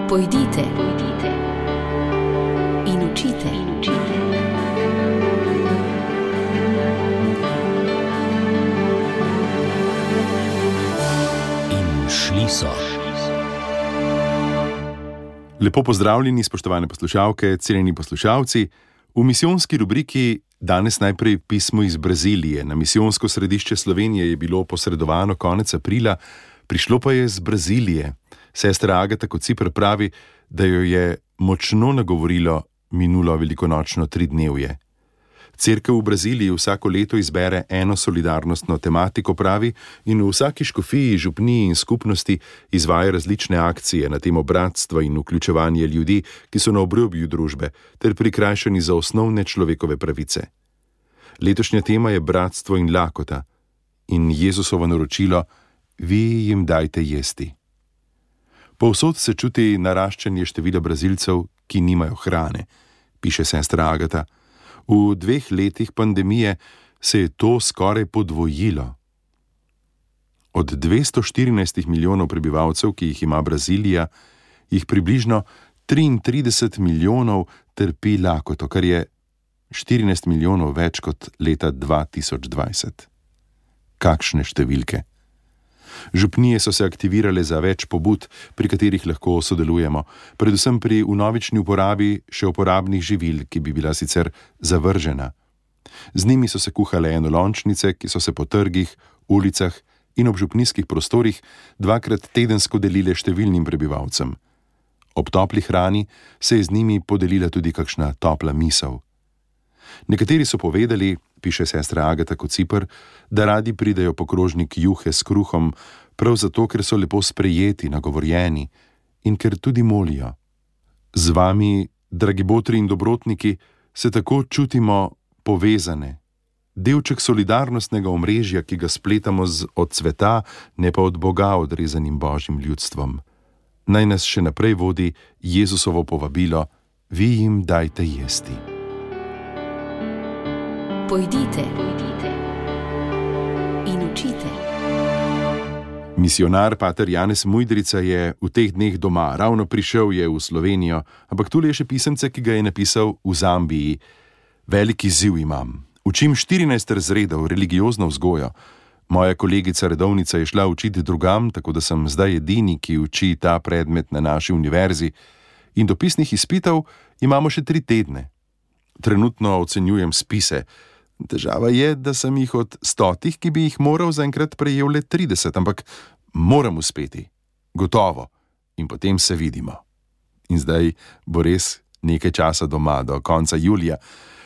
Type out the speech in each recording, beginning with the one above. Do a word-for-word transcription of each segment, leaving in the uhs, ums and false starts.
Pojdite, pojdite in učite, in učite. In šli so. Lepo pozdravljeni, spoštovane poslušalke, cenjeni poslušalci. V misijonski rubriki danes najprej pismo iz Brazilije. Na misijonsko središče Slovenije je bilo posredovano konec aprila, prišlo pa je iz Brazilije. Sestra Agata Kociper pravi, da jo je močno nagovorilo minulo velikonočno tridnevje. Cerkev v Braziliji vsako leto izbere eno solidarnostno tematiko, pravi, in v vsaki škofiji, župniji in skupnosti izvaja različne akcije na temo bratstva in vključevanje ljudi, ki so na obrobju družbe, ter prikrajšani za osnovne človekove pravice. Letošnja tema je bratstvo in lakota in Jezusovo naročilo: vi jim dajte jesti. Povsod se čuti naraščanje števila Brazilcev, ki nimajo hrane, piše sestra Agata. V dveh letih pandemije se je to skoraj podvojilo. Od dvesto štirinajst milijonov prebivalcev, ki jih ima Brazilija, jih približno triintrideset milijonov trpi lakoto, kar je štirinajst milijonov več kot leta dva tisoč dvajset. Kakšne številke! Župnije so se aktivirale za več pobud, pri katerih lahko sodelujemo, predvsem pri vnovični uporabi še uporabnih živil, ki bi bila sicer zavržena. Z njimi so se kuhale enolončnice, ki so se po trgih, ulicah in ob župnijskih prostorih dvakrat tedensko delile številnim prebivalcem. Ob topli hrani se je z njimi podelila tudi kakšna topla misel. Nekateri so povedali, piše sestra Agata Kociper, da radi pridejo po krožnik juhe s kruhom, prav zato, ker so lepo sprejeti, nagovorjeni in ker tudi molijo. Z vami, dragi botri in dobrotniki, se tako čutimo povezane. Delček solidarnostnega omrežja, ki ga spletamo z od sveta, ne pa od Boga odrezanim božjim ljudstvom. Naj nas še naprej vodi Jezusovo povabilo: vi jim dajte jesti. Pojdite, pojdite in učite. Misionar pater Janez Mujdrica je v teh dneh doma, ravno prišel je v Slovenijo, ampak tule je še pisemce, ki ga je napisal v Zambiji. Veliki izziv imam. Učim štirinajst razredov, religiozno vzgojo. Moja kolegica redovnica je šla učiti drugam, tako da sem zdaj edini, ki uči ta predmet na naši univerzi. In dopisnih izpitov imamo še tri tedne. Trenutno ocenjujem spise. Težava je, da sem jih od stotih, ki bi jih moral zaenkrat prejel le trideset, ampak moram uspeti. Gotovo. In potem se vidimo. In zdaj bo res nekaj časa doma, do konca julija.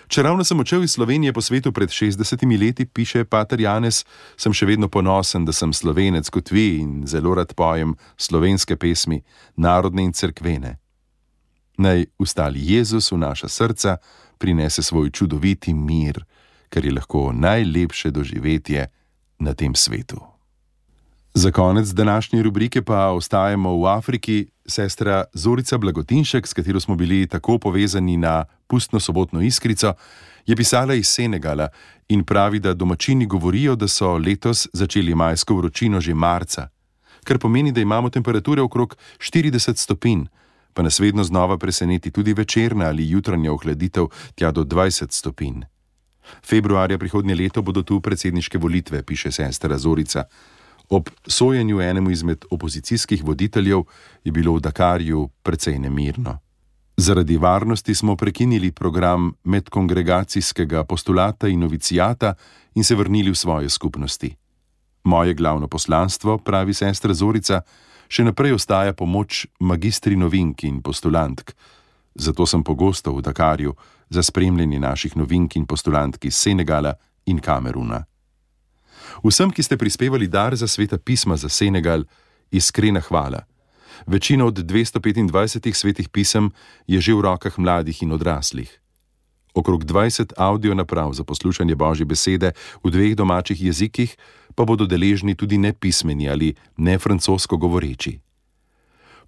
Čeravno sem odšel iz Slovenije po svetu pred šestdesetimi leti, piše pater Janez, sem še vedno ponosen, da sem Slovenec kot vi in zelo rad pojem slovenske pesmi, narodne in cerkvene. Naj ustali Jezus v naša srca, prinese svoj čudoviti mir, ker je lahko najlepše doživetje na tem svetu. Za konec današnje rubrike pa ostajamo v Afriki. Sestra Zorica Blagotinšek, s katero smo bili tako povezani na pustno sobotno iskrico, je pisala iz Senegala in pravi, da domačini govorijo, da so letos začeli majsko vročino že marca, kar pomeni, da imamo temperature okrog štirideset stopinj, pa nas vedno znova preseneti tudi večerna ali jutranja ohladitev tja do dvajset stopinj. Februarja prihodnje leto bodo tu predsedniške volitve, piše sestra Zorica. Ob sojenju enemu izmed opozicijskih voditeljev je bilo v Dakarju precej nemirno. Zaradi varnosti smo prekinili program medkongregacijskega postulata in novicijata in se vrnili v svoje skupnosti. Moje glavno poslanstvo, pravi sestra Zorica, še naprej ostaja pomoč magistri novink in postulantk. Zato sem pogosto v Dakarju za spremljanje naših novink in postulantk iz Senegala in Kameruna. Vsem, ki ste prispevali dar za sveta pisma za Senegal, iskrena hvala. Večina od dvesto petindvajsetih svetih pisem je že v rokah mladih in odraslih. Okrog dvajset audio naprav za poslušanje Božje besede v dveh domačih jezikih pa bodo deležni tudi nepismeni ali nefrancosko govoreči.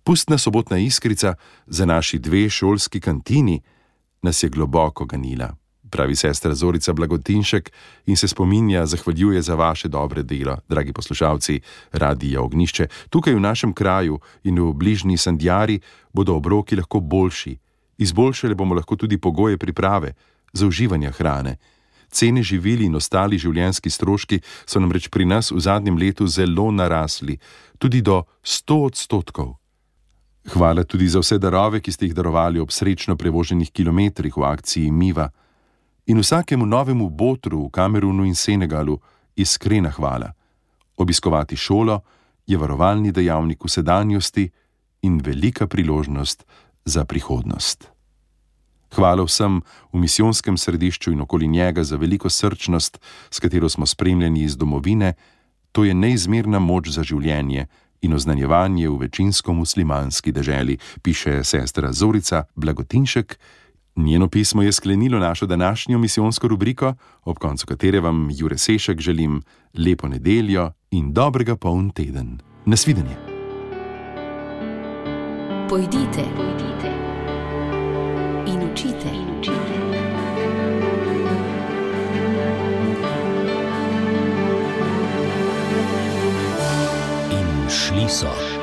Pustna sobotna iskrica za naši dve šolski kantini nas je globoko ganila. pravi sestra Zorica Blagotinšek in se spominja, zahvaljuje za vaše dobre delo, dragi poslušalci Radia Ognjišče. Tukaj v našem kraju in v bližnji Sandjari bodo obroki lahko boljši. Izboljšali bomo lahko tudi pogoje priprave, za uživanje hrane. Cene živil in ostali življenjski stroški so namreč pri nas v zadnjem letu zelo narasli, tudi do sto odstotkov. Hvala tudi za vse darove, ki ste jih darovali ob srečno prevoženih kilometrih v akciji Miva. In vsakemu novemu botru v Kamerunu in Senegalu iskrena hvala. Obiskovati šolo je varovalni dejavnik v sedanjosti in velika priložnost za prihodnost. Hvala vsem v misijonskem središču in okoli njega za veliko srčnost, s katero smo spremljeni iz domovine. To je neizmerna moč za življenje in oznanjevanje v večinsko muslimanski deželi, piše sestra Zorica Blagotinšek. Njeno pismo je sklenilo našo današnjo misijonsko rubriko, ob koncu katere vam Jure Sešek želim lepo nedeljo in dobrega poln teden. Nasvidenje. Pojdite, pojdite in učite, in učite. In šli so.